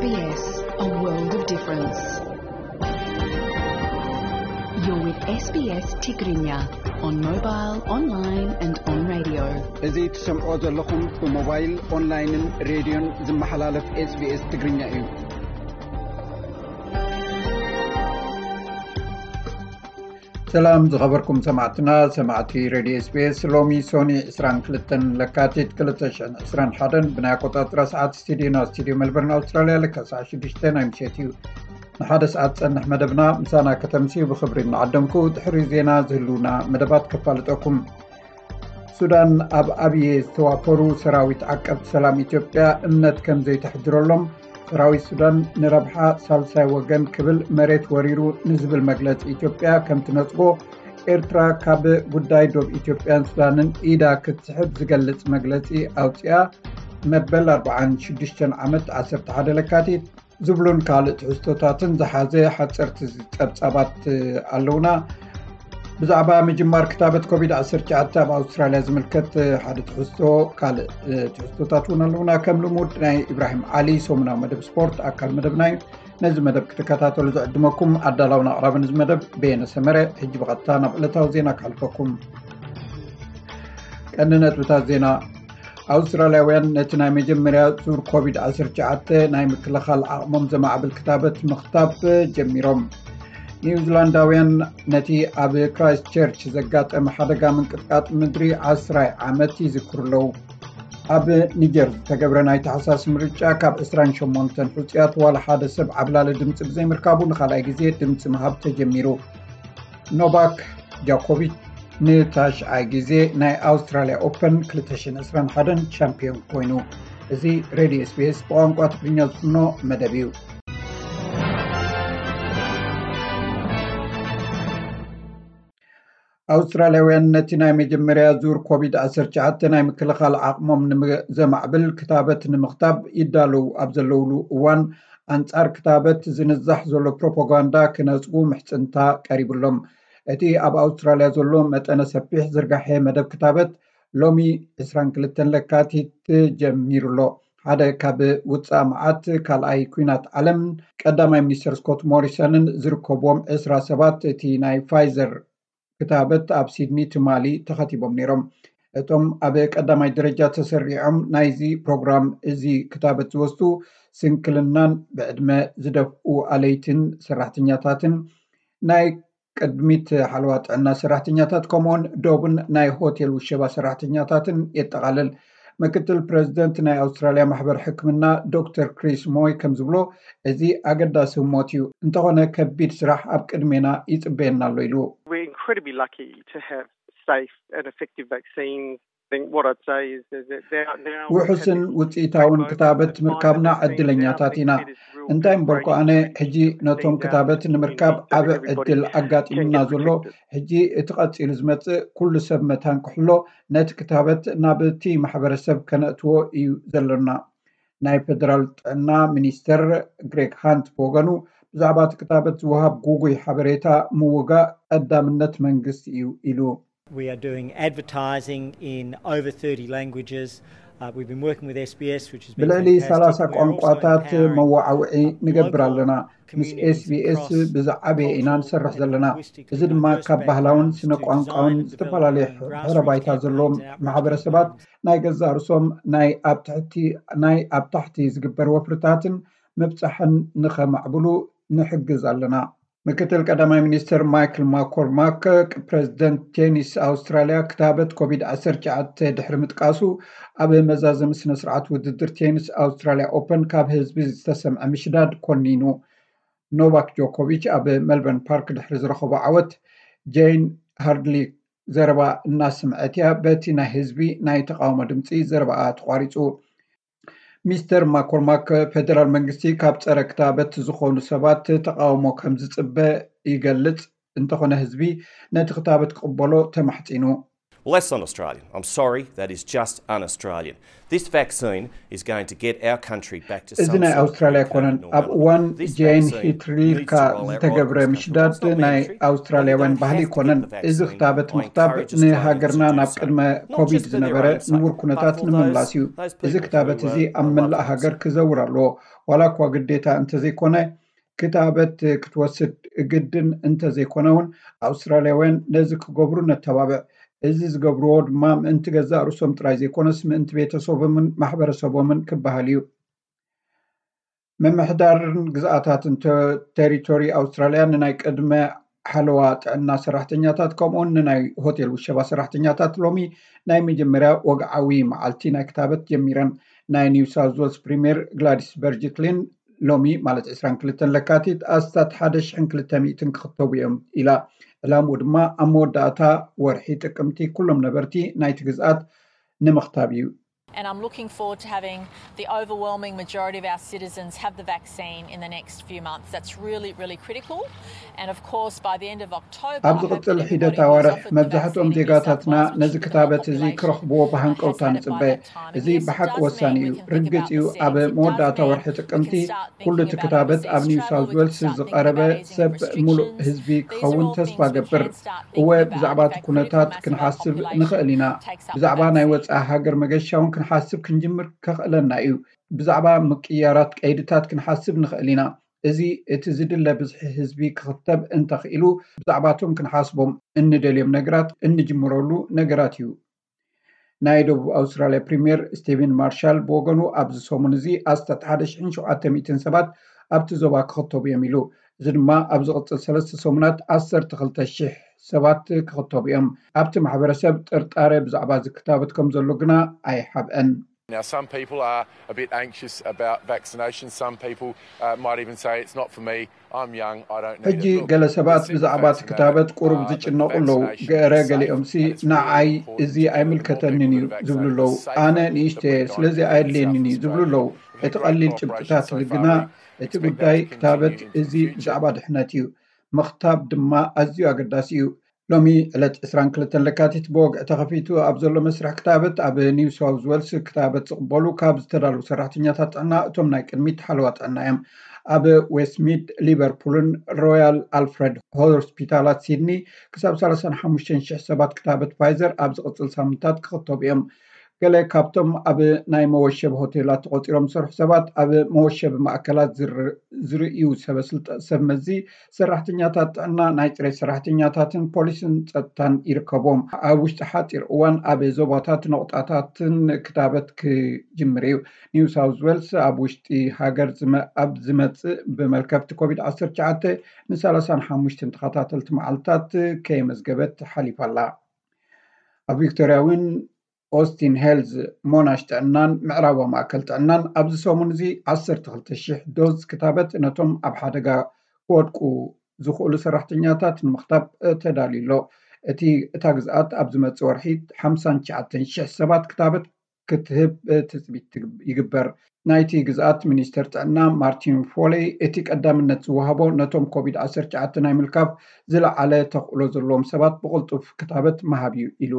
S B S, a world of difference. You're with S B S Tigrinya on mobile, online and on radio. እዚ ትሰምዖ ዘለኹም ብሞባይል፣ ኦንላይንን ሬድዮን ዝመሓላለፍ SBS ትግርኛ እዩ። ሰላም ዝኸበርኩም ሰማዕትና፣ ሰማዕቲ ሬድዮ SBS። ሎሚ ሶኒ ዕስራን ክልተን ለካቲት ክልተ ሽሕን ዕስራን ሓደን ብናይ ኣቆጻጽራ ሰዓት ስቱዲዮና፣ ስቱዲዮ ሜልበርን ኣውስትራልያ፣ ለካ ሰዓት ሽዱሽተ ናይ ምሸት እዩ። ንሓደ ሰዓት ጸንሕ መደብና ምሳና ከተምስዩ ብኽብሪ እናዓደምኩ፣ ድሕሪ ዜና ዝህልውና መደባት ከፋልጠኩም። ሱዳን ኣብ ኣብየ ዝተዋፈሩ ሰራዊት ዓቀብቲ ሰላም ኢትዮጵያ እምነት ከም ዘይተሕድረሎም፣ ሰራዊት ሱዳን ንረብሓ ሳልሳይ ወገን ክብል መሬት ወሪሩ ንዝብል መግለጺ ኢትዮጵያ ከም ትነጽጎ፣ ኤርትራ ካብ ጉዳይ ዶብ ኢትዮጵያን ሱዳንን ኢዳ ክትስሕብ ዝገልጽ መግለጺ ኣውጺኣ። መበል ኣርባዓን ሽዱሽተን ዓመት ዓሰርተ ሓደ ለካቲት ዝብሉን ካልእ ትሕዝቶታትን ዝሓዘ ሓጸርቲ ጸብጻባት ኣለውና። ብዛዕባ ምጅማር ክታበት ኮቪድ ዓሰርተ ትሽዓተ ኣብ ኣውስትራልያ ዝምልከት ሓደ ትሕዝቶ፣ ካልእ ትሕዝቶታት እውን ኣለውና። ከም ልሙድ ናይ ኢብራሂም ዓሊ ሰሙናዊ መደብ ስፖርት ኣካል መደብና እዩ። ነዚ መደብ ክትከታተሉ ዝዕድመኩም ኣዳላውን ኣቕራብን እዚ መደብ በየነ ሰመረ። ሕጂ ብቐጥታ ናብ ዕለታዊ ዜና ክሓልፈኩም። ቀንዲ ነጥብታት ዜና። ኣውስትራልያውያን ነቲ ናይ መጀመርያ ዙር ኮቪድ ዓሰርተ ትሽዓተ ናይ ምክልኻል ዓቕሞም ዘማዕብል ክታበት ምኽታብ ጀሚሮም። ኒውዚላንዳውያን ነቲ ኣብ ክራይስት ቸርች ዘጋጠመ ሓደጋ ምንቅጥቃጥ ምድሪ ዓስራይ ዓመት ይዝክሩ ኣለዉ። ኣብ ኒጀር ዝተገብረ ናይ ታሕሳስ ምርጫ ካብ ዕስራን ሸሞንተን ሕጹያት ዋላ ሓደ ሰብ ዓብላሊ ድምጺ ብዘይምርካቡ ንኻልኣይ ግዜ ድምጺ ምሃብ ተጀሚሩ። ኖቫክ ጆኮቪች ንታሽዓይ ግዜ ናይ ኣውስትራልያ ኦፐን ክልተ ሽሕን ዕስራን ሓደን ቻምፒዮን ኮይኑ። እዚ ሬድዮ SBS ብቋንቋ ትግርኛ ዝፍኖ መደብ እዩ። ኣውስትራልያውያን ነቲ ናይ መጀመርያ ዙር ኮቪድ ዓሰርተ ትሽዓተ ናይ ምክልኻል ዓቕሞም ንዘማዕብል ክታበት ንምኽታብ ይዳለዉ ኣብ ዘለውሉ እዋን፣ ኣንጻር ክታበት ዝንዛሕ ዘሎ ፕሮፓጋንዳ ክነጽጉ ምሕጽንታ ቀሪቡሎም። እቲ ኣብ ኣውስትራልያ ዘሎ መጠነ ሰፊሕ ዝርጋሐ መደብ ክታበት ሎሚ ዕስራን ክልተን ለካቲት ጀሚሩ ኣሎ። ሓደ ካብ ውጻእ መዓት ካልኣይ ኲናት ዓለም፣ ቀዳማይ ሚኒስተር ስኮት ሞሪሰንን ዝርከብዎም ዕስራ ሰባት እቲ ናይ ፋይዘር ክታበት ኣብ ሲድኒ ትማሊ ተኸቲቦም ነይሮም። እቶም ኣብ ቀዳማይ ደረጃ ተሰሪዖም ናይዚ ፕሮግራም እዚ ክታበት ዝወስዱ ስንክልናን ብዕድመ ዝደፍኡ ኣለይትን ሰራሕተኛታትን ናይ ቅድሚት ሓለዋ ጥዕና ሰራሕተኛታት ከምኡውን ዶብን ናይ ሆቴል ውሸባ ሰራሕተኛታትን የጠቓልል። ምክትል ፕረዚደንት ናይ ኣውስትራልያ ማሕበር ሕክምና ዶክተር ክሪስ ሞይ ከም ዝብሎ፣ እዚ ኣገዳሲ ህሞት እዩ፣ እንተኾነ ከቢድ ስራሕ ኣብ ቅድሜና ይጽበየና ኣሎ ኢሉ። We're incredibly lucky to have safe and effective vaccines. I think what I'd say is that there are now ውሑስን ውፅኢታውን ክታበት ምርካብና ዕድለኛታት ኢና። እንታይ እምበርኮ ኣነ ሕጂ ነቶም ክታበት ንምርካብ ዓቢ ዕድል ኣጋጢሙና ዘሎ፣ ሕጂ እቲ ቀፂሉ ዝመፅእ ኩሉ ሰብ መታን ክሕሎ ነቲ ክታበት ናብ እቲ ማሕበረሰብ ከነእትዎ እዩ ዘሎና። ናይ ፌደራል ጥዕና ሚኒስተር ግሬግ ሃንት ብወገኑ፣ ብዛዕባ እቲ ክታበት ዝወሃብ ጉጉይ ሓበሬታ ምውጋእ ቀዳምነት መንግስቲ እዩ ኢሉ። We are doing advertising in over thirty languages. Uh, we've been working with SBS, which has been ብልዕሊ fantastic. ሰላሳ We're also ቋንቋታት empowering መወዓውዒ ንገብር local ኣለና። ምስ communities SBS across ብዛዕባ ኢና cultural ንሰርሕ and ዘለና። linguistic እዚ ድማ diverse ካብ ባህላውን backgrounds ስነ to ቋንቋውን design and develop ዝተፈላለየ their own grassroots ሕብረ ባይታ ዘለዎም campaigns and outreach ማሕበረሰባት campaigns. ናይ ገዛእ ርእሶም ናይ ኣብ ትሕቲ ናይ ኣብ ታሕቲ ዝግበር ወፍርታትን ምብጻሕን ንኸማዕብሉ ንሕግዝ ኣለና። ምክትል ቀዳማይ ሚኒስትር ማይክል ማኮርማክ፣ ፕሬዚደንት ቴኒስ ኣውስትራልያ ክታበት ኮቪድ ዓሰርተ ትሽዓተ ድሕሪ ምጥቃሱ፣ ኣብ መዛዘሚ ስነ ስርዓት ውድድር ቴኒስ ኣውስትራልያ ኦፐን ካብ ህዝቢ ዝተሰምዐ ምሽዳድ ኮኒኑ። ኖቫክ ጆኮቪች ኣብ ሜልበርን ፓርክ ድሕሪ ዝረኸቦ ዓወት፣ ጄን ሃርድሊ ዘረባ እናስምዐት እያ በቲ ናይ ህዝቢ ናይ ተቃውሞ ድምፂ ዘረባኣ ተቋሪፁ። ሚስተር ማኮርማክ፣ ፌደራል መንግስቲ ካብ ጸረ ክታበት ዝኾኑ ሰባት ተቃውሞ ከም ዝጽበ ይገልጽ፣ እንተኾነ ህዝቢ ነቲ ክታበት ክቕበሎ ተማሕጺኑ። Well, that's not Australian. I'm sorry, that is just un Australian. This vaccine is going to get our country back to እዚ ናይ ኣውስትራልያ ኣይኮነን። ኣብ እዋን ጄን ሂትሪልካ ዝተገብረ ምሽዳድ ናይ ኣውስትራልያውያን ባህሊ ኣይኮነን። እዚ ክታበት ምኽታብ ንሃገርና ናብ ቅድመ ኮቪድ ዝነበረ ንቡር ኩነታት ንምምላስ እዩ። እዚ ክታበት እዚ ኣብ መላእ ሃገር ክዘውር ኣለዎ። ዋላ እኳ ግዴታ እንተዘይኮነ ክታበት ክትወስድ ግድን እንተዘይኮነ እውን ኣውስትራልያውያን ነዚ ክገብሩ ነተባብዕ። እዚ ዝገብርዎ ድማ ምእንቲ ገዛእ ርእሶም ጥራይ ዘይኮነስ ምእንቲ ቤተሰቦምን ማሕበረሰቦምን ክበሃል እዩ። ምምሕዳርን ግዝኣታትን ተ- ቴሪቶሪ ኣውስትራልያ ንናይ ቅድመ ሓለዋ ጥዕና ሰራሕተኛታት ከምኡውን ንናይ ሆቴል ውሸባ ሰራሕተኛታት ሎሚ ናይ መጀመርያ ወግዓዊ መዓልቲ ናይ ክታበት ጀሚረን። ናይ ኒው ሳውዝ ዌልስ ፕሪምየር ግላዲስ በርጅክሊን ሎሚ ማለት ዕስራን ክልተን ለካቲት ኣስታት ሓደ ሽሕን ክልተ ሚእትን ክኽተቡ እዮም ኢላ። ዕላምኡ ድማ ኣብ መወዳእታ ወርሒ ጥቅምቲ ኩሎም ነበርቲ ናይቲ ግዝኣት ንምኽታብ እዩ። And I'm looking forward to having the overwhelming majority of our citizens have the vaccine in the next few months. That's really, really critical. And of course, by the end of October, ኣብ ዝቕጽል ሒደት ኣዋርሕ መብዛሕትኦም ዜጋታትና ነዚ ክታበት እዚ ክረኽብዎ ብሃንቀውታ ንጽበ። እዚ ብሓቂ ወሳኒ እዩ። ርግጽ እዩ፣ ኣብ መወዳእታ ወርሒ ጥቅምቲ ኩሉ እቲ ክታበት ኣብ ኒው ሳውዝ ዌልስ ዝቐረበ ሰብ ሙሉእ ህዝቢ ክኸውን ተስፋ ገብር። እወ፣ ብዛዕባ እቲ ኩነታት ክንሓስብ ንኽእል ኢና። ብዛዕባ ናይ ወጻኢ ሃገር መገሻ እውን ክንሓስብ ክንጅምር ከኽእለና እዩ። ብዛዕባ ምቅያራት ቀይድታት ክንሓስብ ንኽእል ኢና። እዚ እቲ ዝድለ ብዝሒ ህዝቢ ክኽተብ እንተኽኢሉ ብዛዕባቶም ክንሓስቦም እንደልዮም ነገራት እንጅምረሉ ነገራት እዩ። ናይ ደቡብ ኣውስትራልያ ፕሪምየር ስቲቨን ማርሻል ብወገኑ ኣብዚ ሰሙን እዚ ኣስታት ሓደ ሽሕን ሸውዓተ ሚእትን ሰባት ኣብቲ ዞባ ክኽተቡ እዮም ኢሉ። እዚ ድማ ኣብ ዝቕጽል ሰለስተ ሰሙናት ዓሰርተ ክልተ ሽሕ ሰባት ክኽተቡ እዮም። ኣብቲ ማሕበረሰብ ጥርጣረ ብዛዕባ እዚ ክታበት ከም ዘሎ ግና ኣይሓብአን። Now, some people are a bit anxious about vaccination. Some people uh, might even say, "It's not for me. I'm young. I don't need ሕጂ ገለ ሰባት ብዛዕባ እቲ ክታበት ቁሩብ ዝጭነቑ ኣለዉ። ገረ ገሊኦምሲ ንዓይ እዚ ኣይምልከተንን እዩ ዝብሉ ኣለዉ። ኣነ ንእሽተ እየ፣ ስለዚ ኣየድልየንን እዩ ዝብሉ ኣለዉ። እቲ ቀሊል ጭብጥታት ግና እቲ ጉዳይ ክታበት እዚ ብዛዕባ ድሕነት እዩ። ምኽታብ ድማ ኣዝዩ ኣገዳሲ እዩ። ሎሚ ዕለት ዕስራን ክልተን ለካቲት ብወግዒ ተኸፊቱ ኣብ ዘሎ መስርሕ ክታበት ኣብ ኒው ሳውዝ ዌልስ ክታበት ዝቕበሉ ካብ ዝተዳለዉ ሰራሕተኛታት ጥዕና እቶም ናይ ቅድሚት ሓለዋ ጥዕና እዮም። ኣብ ዌስትሚድ፣ ሊቨርፑልን ሮያል ኣልፍረድ ሆስፒታላት ሲድኒ ክሳብ ሰላሳን ሓሙሽተን ሽሕ ሰባት ክታበት ፋይዘር ኣብ ዝቕጽል ሳምንታት ክኽተቡ እዮም። ገለ ካብቶም ኣብ ናይ መወሸቢ ሆቴላት ተቖጺሮም ዝሰርሑ ሰባት ኣብ መወሸቢ ማእከላት ዝር- ዝርእዩ ሰበ ስልጣ- ሰብ መዚ ሰራሕተኛታት ጥዕና፣ ናይ ጽሬት ሰራሕተኛታትን ፖሊስን ጸጥታን ይርከብዎም። ኣብ ውሽጢ ሓጺር እዋን ኣብ ዞባታት ነቑጣታትን ክታበት ክጅምር እዩ። ኒው ሳውዝ ዌልስ ኣብ ውሽጢ ሃገር ዝመ- ኣብ ዝመጽእ ብመልከፍቲ ኮቪድ ዓሰርተ ትሽዓተ ንሰላሳን ሓሙሽተን ተኸታተልቲ መዓልታት ከየመዝገበት ሓሊፋ ኣላ። ኣብ ቪክቶርያ እውን ኦስቲን ሄልዝ፣ ሞናሽ ጥዕናን ምዕራባዊ ማእከል ጥዕናን ኣብዚ ሰሙን እዚ ዓሰርተ ክልተ ሽሕ ዶዝ ክታበት ነቶም ኣብ ሓደጋ ክወድቁ ዝኽእሉ ሰራሕተኛታት ንምኽታብ ተዳልዩ ኣሎ። እቲ እታ ግዝኣት ኣብ ዝመጽእ ወርሒ ሓምሳን ትሽዓተን ሽሕ ሰባት ክታበት ክትህብ ትጽቢት ይግበር። ናይቲ ግዝኣት ሚኒስተር ጥዕና ማርቲን ፎሌይ፣ እቲ ቀዳምነት ዝወሃቦ ነቶም ኮቪድ ዓሰርተ ትሽዓተ ናይ ምልካፍ ዝለዓለ ተኽእሎ ዘለዎም ሰባት ብቕልጡፍ ክታበት ምሃብ እዩ ኢሉ።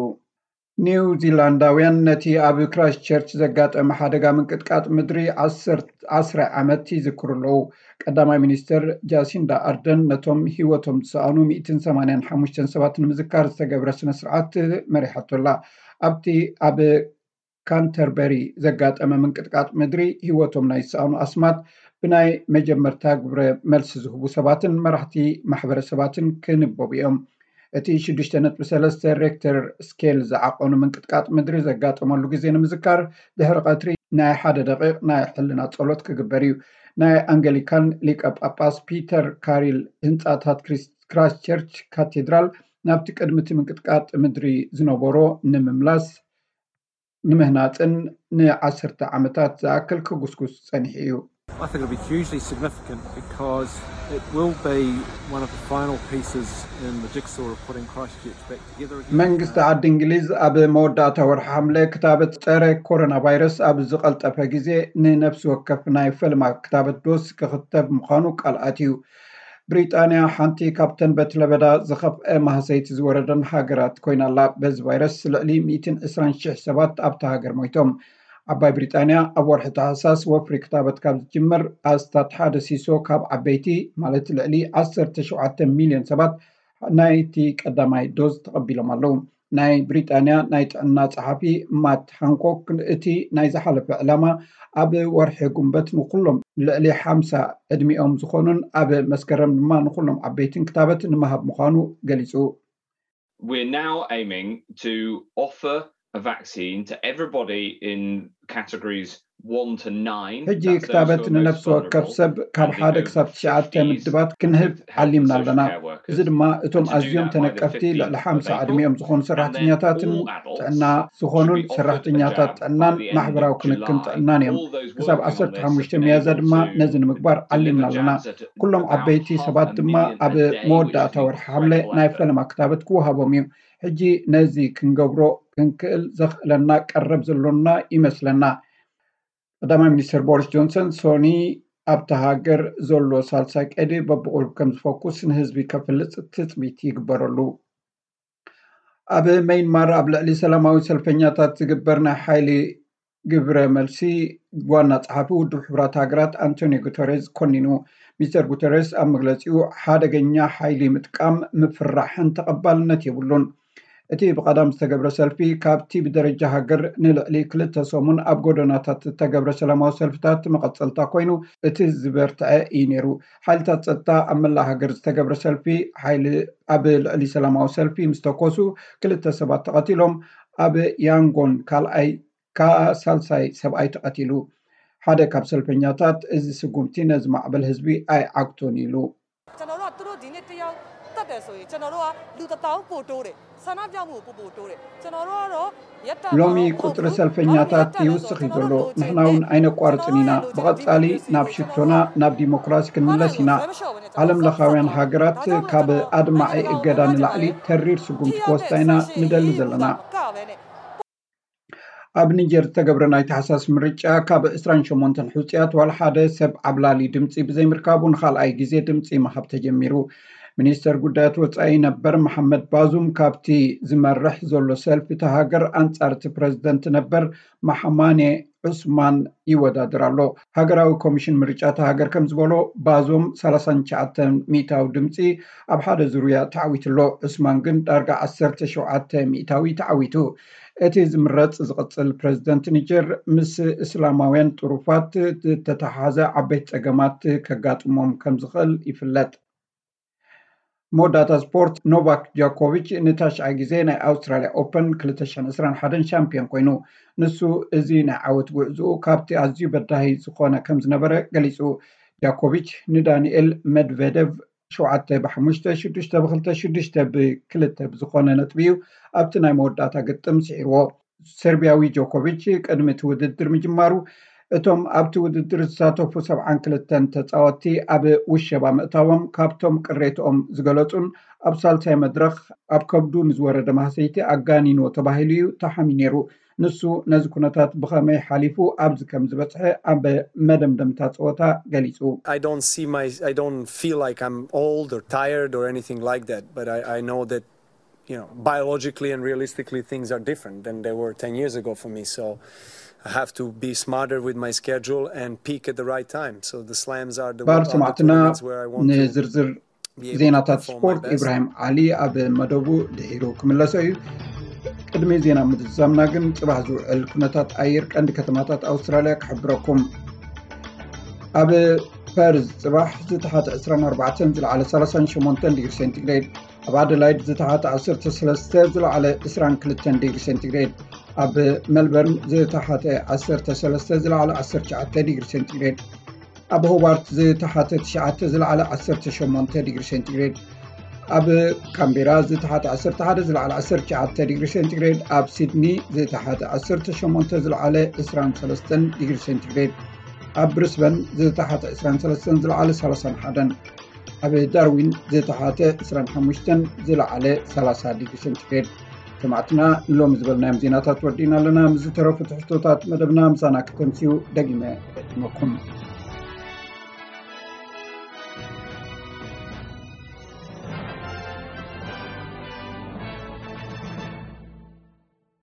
ኒው ዚላንዳውያን ነቲ ኣብ ክራይስት ቸርች ዘጋጠመ ሓደጋ ምንቅጥቃጥ ምድሪ ዓሰርተ ዓመት ይዝክሩ ኣለዉ። ቀዳማይ ሚኒስተር ጃሲንዳ ኣርደን ነቶም ህይወቶም ዝሰኣኑ ሚእትን ሰማንያን ሓሙሽተን ሰባት ንምዝካር ዝተገብረ ስነ ስርዓት መሪሓቶ ኣላ። ኣብቲ ኣብ ካንተርበሪ ዘጋጠመ ምንቅጥቃጥ ምድሪ ህይወቶም ናይ ዝሰኣኑ ኣስማት ብናይ መጀመርታ ግብረ መልሲ ዝህቡ ሰባትን መራሕቲ ማሕበረሰባትን ክንበቡ እዮም። እቲ ሽዱሽተ ነጥቢ ሰለስተ ሬክተር ስኬል ዝዓቐኑ ምንቅጥቃጥ ምድሪ ዘጋጠመሉ ግዜ ንምዝካር ድሕሪ ቀትሪ ናይ ሓደ ደቂቕ ናይ ሕልና ጸሎት ክግበር እዩ። ናይ ኣንገሊካን ሊቀ ጳጳስ ፒተር ካሪል ህንጻታት ክራይስት ቸርች ካቴድራል ናብቲ ቅድሚ እቲ ምንቅጥቃጥ ምድሪ ዝነበሮ ንምምላስ ንምህናጽን ንዓሰርተ ዓመታት ዝኣክል ክጉስጉስ ጸኒሑ እዩ። I think it'll be hugely significant because it will be one of the final pieces in the jigsaw of putting Christchurch back together again. መንግስቲ ዓዲ እንግሊዝ ኣብ መወዳእታ ወርሒ ሓምለ ክታበት ጸረ ኮሮና ቫይረስ ኣብ ዝቐልጠፈ ግዜ ንነፍሲ ወከፍ ናይ ፈልማ ክታበት ዶስ ክኽተብ ምዃኑ ቃል ኣትዩ። ብሪጣንያ ሓንቲ ካብተን በቲ ለበዳ ዝኸፍአ ማህሰይቲ ዝወረደን ሃገራት ኮይና ኣላ። በዚ ቫይረስ ልዕሊ ሚእትን ዕስራን ሽሕ ሰባት ኣብታ ሃገር ሞይቶም። ዓባይ ብሪጣንያ ኣብ ወርሒ ታሕሳስ ወፍሪ ክታበት ካብ ዝጅምር ኣስታት ሓደ ሲሶ ካብ ዓበይቲ፣ ማለት ልዕሊ ዓሰርተ ሸውዓተ ሚልዮን ሰባት፣ ናይቲ ቀዳማይ ዶዝ ተቐቢሎም ኣለዉ። ናይ ብሪጣንያ ናይ ጥዕና ጸሓፊ ማት ሃንኮክ፣ እቲ ናይ ዝሓለፈ ዕላማ ኣብ ወርሒ ጉንበት ንኩሎም ልዕሊ ሓምሳ ዕድሚኦም ዝኾኑን ኣብ መስከረም ድማ ንኩሎም ዓበይትን ክታበት ንምሃብ ምዃኑ ገሊጹ። We're now aiming to offer a vaccine to everybody in categories one to nine. ሕጂ ክታበት ንነፍሲ ወከፍ ሰብ ካብ ሓደ ክሳብ ትሽዓተ ምድባት ክንህብ ዓሊምና ኣለና። እዚ ድማ እቶም ኣዝዮም ተነቀፍቲ ልዕሊ ሓምሳ ዕድሚኦም ዝኾኑ ሰራሕተኛታትን ጥዕና ዝኾኑን ሰራሕተኛታት ጥዕናን ማሕበራዊ ክንክን ጥዕናን እዮም። ክሳብ ዓሰርተ ሓሙሽተ ሚያዝያ ድማ ነዚ ንምግባር ዓሊምና ኣለና። ኩሎም ዓበይቲ ሰባት ድማ ኣብ መወዳእታ ወርሒ ሓምለ ናይ ፈለማ ክታበት ክወሃቦም እዩ። ሕጂ ነዚ ክንገብሮ ክንክእል ዘኽእለና ቀረብ ዘሎና ይመስለና። ቀዳማይ ሚኒስትር ቦሪስ ጆንሰን ሶኒ ኣብታ ሃገር ዘሎ ሳልሳይ ቀይዲ በብቑሩብ ከም ዝፈኩስ ንህዝቢ ከፍልጥ ትጽቢት ይግበረሉ። ኣብ መይንማር ኣብ ልዕሊ ሰላማዊ ሰልፈኛታት ዝግበር ናይ ሓይሊ ግብረ መልሲ ዋና ጸሓፊ ውድብ ሕቡራት ሃገራት ኣንቶኒዮ ጉተሬዝ ኮኒኑ። ሚስተር ጉተሬዝ ኣብ መግለጺኡ ሓደገኛ ሓይሊ ምጥቃም ምፍራሕን ተቐባልነት የብሉን። እቲ ብቐዳም ዝተገብረ ሰልፊ ካብቲ ብደረጃ ሃገር ንልዕሊ ክልተ ሰሙን ኣብ ጎደናታት ዝተገብረ ሰላማዊ ሰልፍታት መቐጸልታ ኮይኑ እቲ ዝበርትዐ እዩ ነይሩ። ሓይልታት ጸጥታ ኣብ መላእ ሃገር ዝተገብረ ሰልፊ ሓይሊ ኣብ ልዕሊ ሰላማዊ ሰልፊ ምስ ተኮሱ ክልተ ሰባት ተቐቲሎም፣ ኣብ ያንጎን ካልኣይ ከኣ ሳልሳይ ሰብኣይ ተቐቲሉ። ሓደ ካብ ሰልፈኛታት እዚ ስጉምቲ ነዚ ማዕበል ህዝቢ ኣይዓግቶን ኢሉ። ကျွန်တော်တို့ကသူတို့ဒီနေ့တယောက်တတ်တယ်ဆိုရင်ကျွန်တော်တို့ကလူတစ်သောင်းပိုတိုးတယ်ဆန္ဒပြမှုကိုပိုပိုတိုးတယ်ကျွန်တော်တို့ကတော့ရက်တန့် ሎሚ ቁጽሪ ሰልፈኛታት ይውስኽ እዩ ዘሎ። ንሕና እውን ኣይነቋርጽን ኢና። ብቐጻሊ ናብ ሽቶና ናብ ዲሞክራሲ ክንምለስ ኢና። ዓለም ለኻውያን ሃገራት ካብ ኣድማዒ እገዳ ንላዕሊ ተሪር ስጉምቲ ክወስዳ ኢና ንደሊ ዘለና። ኣብ ኒጀር ዝተገብረ ናይ ታሕሳስ ምርጫ ካብ ዕስራን ሸሞንተን ሕጹያት ዋላ ሓደ ሰብ ዓብላሊ ድምጺ ብዘይምርካቡ ንኻልኣይ ግዜ ድምጺ ምሃብ ተጀሚሩ። ሚኒስተር ጉዳያት ወጻኢ ነበር መሓመድ ባዙም ካብቲ ዝመርሕ ዘሎ ሰልፊ እታ ሃገር ኣንጻር እቲ ፕረዚደንት ነበር መሓማኔ ዑስማን ይወዳደር ኣሎ። ሃገራዊ ኮሚሽን ምርጫ እታ ሃገር ከም ዝበሎ ባዞም ሰላሳን ትሽዓተን ሚእታዊ ድምጺ ኣብ ሓደ ዙርያ ተዓዊቱ ኣሎ። ዑስማን ግን ዳርጋ ዓሰርተ ሸውዓተ ሚእታዊ ተዓዊቱ። እቲ ዝምረጽ ዝቕጽል ፕረዚደንት ኒጀር ምስ እስላማውያን ጥሩፋት ዝተተሓሓዘ ዓበይቲ ጸገማት ከጋጥሞም ከም ዝኽእል ይፍለጥ። መወዳእታ ስፖርት፣ ኖቫክ ጆኮቪች ንታሽዓይ ግዜ ናይ ኣውስትራልያ ኦፐን ክልተ ሽሕን ዕስራን ሓደን ሻምፒዮን ኮይኑ። ንሱ እዚ ናይ ዓወት ጉዕዝኡ ካብቲ ኣዝዩ በዳሂ ዝኾነ ከም ዝነበረ ገሊጹ። ጃኮቪች ንዳንኤል መድቨደቭ ሸውዓተ ብሓሙሽተ፣ ሽዱሽተ ብክልተ፣ ሽዱሽተ ብክልተ ብዝኾነ ነጥቢ እዩ ኣብቲ ናይ መወዳእታ ግጥም ስዒርዎ። ሰርቢያዊ ጆኮቪች ቅድሚ እቲ ውድድር ምጅማሩ እቶም ኣብቲ ውድድር ዝሳተፉ ሰብዓን ክልተን ተጻወትቲ ኣብ ውሸባ ምእታዎም ካብቶም ቅሬትኦም ዝገለጹን ኣብ ሳልሳይ መድረኽ ኣብ ከብዱ ንዝወረደ ማህሰይቲ ኣጋኒንዎ ተባሂሉ እዩ ተሓሚ ነይሩ። ንሱ ነዚ ኩነታት ብኸመይ ሓሊፉ ኣብዚ ከም ዝበጽሐ ኣብ መደምደምታ ጸወታ ገሊጹ። I don't see my I don't feel like I'm old or tired or anything like that, but I, I know that you know biologically and realistically things are different than they were ten years ago for me. So I have to be smarter with my schedule and peak at the right time. So the slams are the, ባር are the ሰማዕትና tournaments where I want to ንዝርዝር be able to ዜናታት perform my ስፖርት best. ኢብራሂም ዓሊ ኣብ መደቡ ድሒሩ ክምለሶ እዩ። ቅድሚ ዜና ምዝዛምና ግን ጽባሕ ዝውዕል ኩነታት ኣየር ቀንዲ ከተማታት ኣውስትራልያ ክሕብረኩም። ኣብ ፐርዝ ጽባሕ ዝተሓተ ዕስራን ኣርባዕተን ዝለዓለ ሰላሳን ሸሞንተን ዲግሪ ሴንቲግሬድ፣ ኣብ ኣደላይድ ዝተሓተ ዓሰርተ ሰለስተ ዝለዓለ ዕስራን ክልተን ዲግሪ ሴንቲግሬድ፣ ኣብ ሜልበርን ዝተሓተ ዓሰርተ ሰለስተ ዝለዓለ ዓሰርተ ትሽዓተ ዲግሪ ሴንቲግሬድ፣ ኣብ ሆባርት ዝተሓተ ትሽዓተ ዝለዓለ ዓሰርተ ሸሞንተ ዲግሪ ሴንቲግሬድ፣ ኣብ ካምቤራ ዝተሓተ ዓሰርተ ሓደ ዝለዓለ ዓሰርተ ትሽዓተ ዲግሪ ሴንቲግሬድ፣ ኣብ ሲድኒ ዝተሓተ ዓሰርተ ሸሞንተ ዝለዓለ ዕስራን ሰለስተን ዲግሪ ሴንቲግሬድ፣ ኣብ ብሪስበን ዝተሓተ ዕስራን ሰለስተን ዝለዓለ ሰላሳን ሓደን፣ ኣብ ዳርዊን ዝተሓተ ዕስራን ሓሙሽተን ዝለዓለ ሰላሳ ዲግሪ ሴንቲግሬድ። ሰማዕትና ንሎሚ ዝበልናዮም ዜናታት ወዲእና ኣለና። ምስ ዝተረፉ ትሕዝቶታት መደብና ምሳና ክተምስዩ ደጊመ እዕድመኩም።